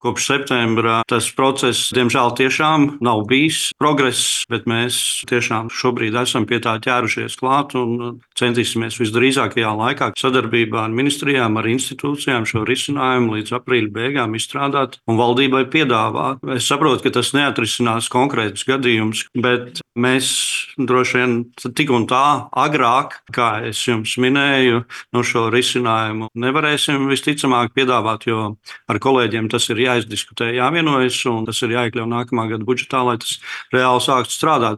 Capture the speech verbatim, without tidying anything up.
Kopš septembra tas process, diemžēl, tiešām nav bijis progress, bet mēs tiešām šobrīd esam pie tā ķērušies klāt un centīsimies visdrīzākajā laikā sadarbībā ar ministrijām, ar institūcijām šo risinājumu līdz aprīļa beigām izstrādāt un valdībai piedāvāt. Es saprotu, ka tas neatrisinās konkrētus gadījumus, bet mēs droši vien tik un tā agrāk, kā es jums minēju, no šo risinājumu nevarēsim visticamāk piedāvāt, jo ar kolēģiem tas ir jāizdiskutē, jāvienojas, un tas ir jāiekļauj nākamā gada budžetā, lai tas reāli sāktu strādāt.